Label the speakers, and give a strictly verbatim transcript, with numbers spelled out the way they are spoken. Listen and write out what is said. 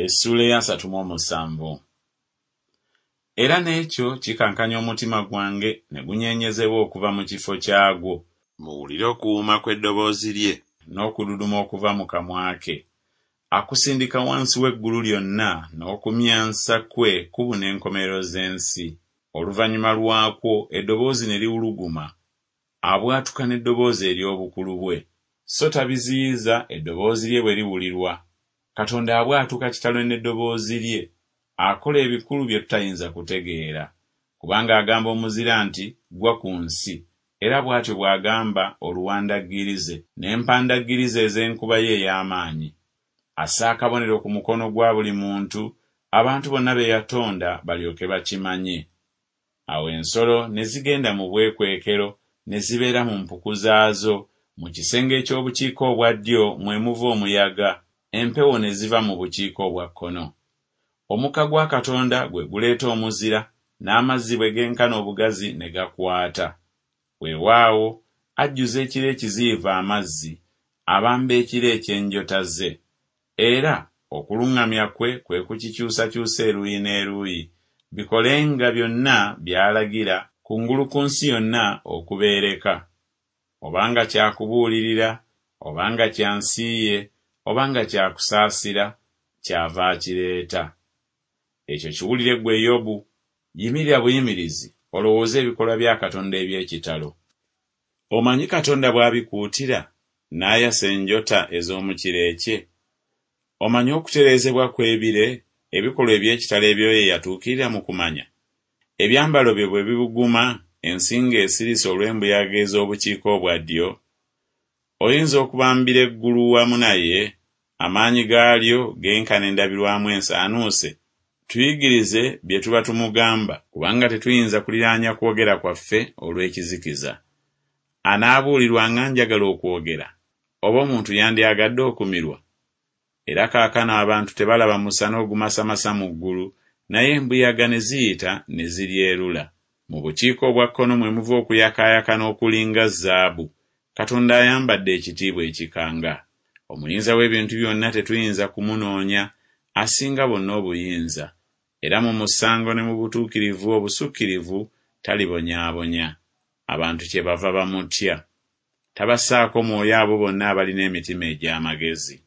Speaker 1: Essuula ey'asatu mu omusanvu. Era n'ekyo kikankanya omutima gwange ne gunyeenyezebwa okuva mu kifo kyagwo. Muwulire okuwuuma kw'eddoboozi lye n'okududuma okuva mu kamwa ke. Akusindika wansi w'eggulu lyonna, n'okumyansa kwe kubuna enkomerero z'ensi. Oluvannyuma lwakwo eddoboozi ne liwuluguma, abwatuka n'eddoboozi ery'obukulu bwe. So tabiziyiza eddoboozi lye bwe liwulirwa. Katonda abwatuka kitalo n'eddoboozi lye, akola ebikulu bye tutayinza kutegeera. Kubanga agamba omuzira nti Ggwa ku nsi, era bw'atyo bw'agamba oluwandaggirize n'empandaggirize ez'enkuba ye ey'amaanyi. Assa akabonero ku mukono gwa buli muntu, abantu bonna be yatonda balyoke bakimanye. Awo ensolo ne zigenda mu bwekwekero, ne zibeera mu mpuku zaazo, mu kisenge eky'obukiika obwa ddyo mwe muva omuyaga, empewo ne ziva mu bukiika obwa kkono. Omukka gwa Katonda gwe guleeta omuzira, n'amazzi bwe genkana obugazi ne gakwata. Weewaawo, ajjuza ekire ekiziyivu amazzi, abamba ekire eky'enjota ze. Era okuluŋŋamya kwe kwe kukikyusakyusa eruuyi n'eruuyi, bikolenga byonna by'alagira, kungulu ku nsi yonna okubeereka. Oba nga kya kubuulirira, oba nga kya nsi ye, oba nga kya kusaasira, kyava akireeta. Ekyo kiwulire ggwe Yobu, yimirira buyimirizi olowooze ebikolwa bya Katonda eby'ekitalo. Omanyi Katonda bw'abikuutira, n'ayasa enjota ez'omu kire kye? Omanyi okutereezebwa kw'ebire, ebikolwa eby'ekitalo eby'oyo eyatuukirira mu kumanya? Ebyambalo bye bwe bibuguma, ensi ng'esirise olw'embuyaga ez'obukiika obwa ddyo? Oyinza okubambira eggulu wamu naye, amaanyi gaalyo genkana endabirwamu ensaanuuse? Tuyigirize bye tuba tumugamba, kubanga tetuyinza kuliraanya kwogera kwaffe olw'ekizikiza. Anaabuulirwa nga njagala okwogera, oba omuntu yandyagadde okumirwa? Era kaakano abantu tebalaba musana ogumasamasa mu ggulu, naye embuyaga ne ziyita ne ziryerula. Mu bukiika obwa kkono mwe muva okuyakaayakana okulinga zaabu. Katonda ayambadde ekitiibwa ekikanga. Omuyinza w'ebintu byonna tetuyinza kumunoonya, asinga bonna obuyinza. Era mu musango ne mu butuukirivu obusukkirivu talibonyaabonya. Abantu kyebava bamutya. Tabassaako mwoyo abo bonna abalina emitima egy'amagezi.